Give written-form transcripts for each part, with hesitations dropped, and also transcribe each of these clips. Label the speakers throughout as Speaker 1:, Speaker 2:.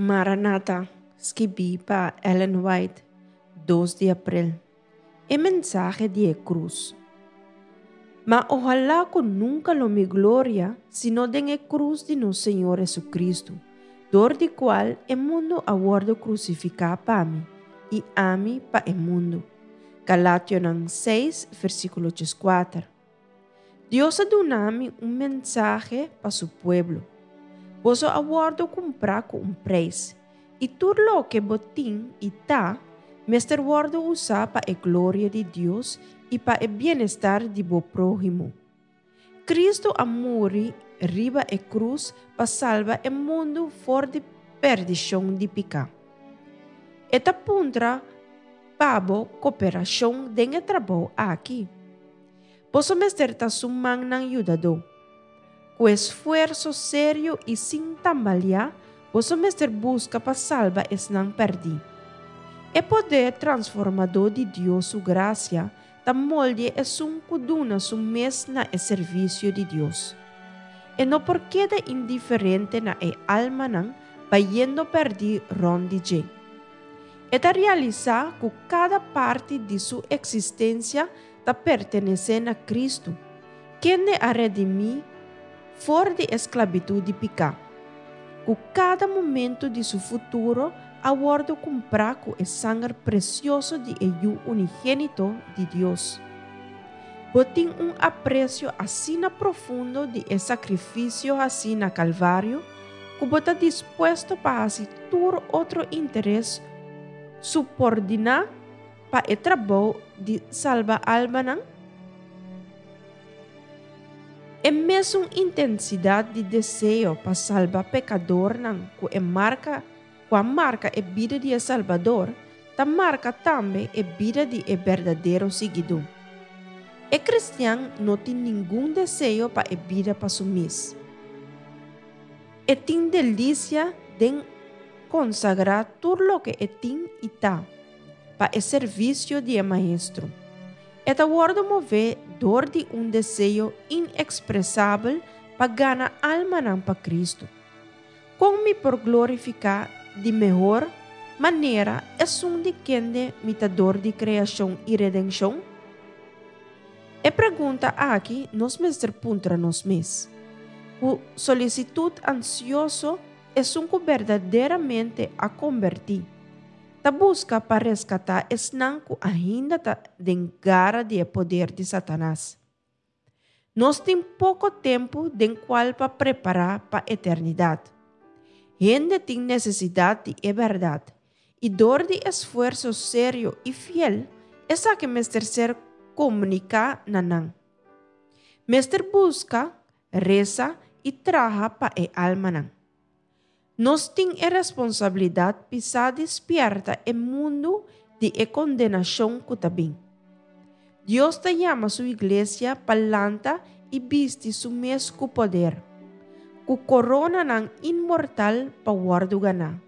Speaker 1: Maranata, skibí pa Ellen White, dos di aprel. E mensahe di e krus. Ma ohalá ku nunka lo mi gloria sino den e krus di nos Señor Hesu-Kristu, dor di kual e mundu a wòrdu krusifiká pa mi, i ami pa e mundu. Galationan seis, versíkulo dieskuater. Dios a duna mi un mensahe pa su pueblo. Boso a wòrdu kumprá ku un preis, i tur loke bo tin i ta mester wòrdu usá pa e gloria di Dios i pa e bienestar di bo próhimo. Kristu a muri riba e krus pa salba e mundu for di perdishon di piká. E ta puntra pa bo koperashon den e trabou aki. Boso mester ta su mannan yudadó. Ku esfuerso serio i sin tambaliá, boso mester buska pa salba esnan pèrdí. E poder transformadó di Dios su grasia ta moldia esun ku duna su mes na e servisio di Dios. E no por keda indiferente na e almanan bayendo pèrdí rònt di dje. E ta realisá ku kada parti di su eksistensia ta pertenesé na Kristu, kende a redimí for di e sklabitut di piká, ku kada momentu di su futuro a wòrdu kumprá ku e sanger presioso di e Yu unigénito di Dios. Bo tin un apresio asina profundo di e sakrifisio hasí na Kalvario ku bo ta dispuesto pa hasi tur otro interes supordiná Pa e trabou di salba almanan? E mesun intensidat di deseo pa salba pekadornan ku e marka ku a marka e bida di e Salbador ta marka tambe e bida di e berdadero siguidó. E kristian no tin ningun deseo pa e bida pa su mes. E tin delisia den konsagrá tur loke e tin i ta, pa e servisio di e Maestro. E ta wòrdu mové dor di un deseo inekspresabel pa gana almanan pa Kristu. Kon mi por glorifiká di mehor manera esun di kende mi ta dor di kreashon i redenshon? E pregunta aki nos mester puntra nos mes. Ku solisitut ansioso esun ku berdaderamente a kombertí, ta buska pa reskatá esnan ku ainda ta den gara di e poder di Satanas. Nos tin poko tempu den kual pa prepará pa eternidat. Hende tin nesesidat di e bèrdat, i dor di esfuerso serio i fiel esaki mester ser komuniká na nan. Mester buska, resa i traha pa e almanan. Nos tin e responsabilidat pisá di spièrta e mundu di e kondenashon ku ta bin. Dios ta yama su iglesia pa lanta i bisti su mes ku poder, ku koronanan inmortal pa wòrdu ganá.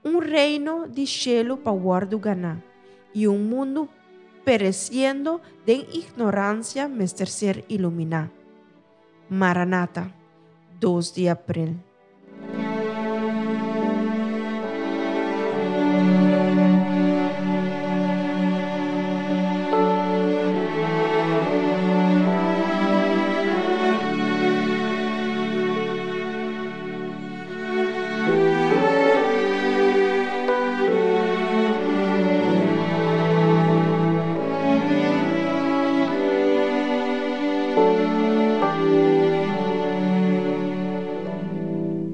Speaker 1: Un reino di shelu pa wòrdu ganá i un mundu peresiendo den ignoransia mester ser iluminá. Maranata, dos di april.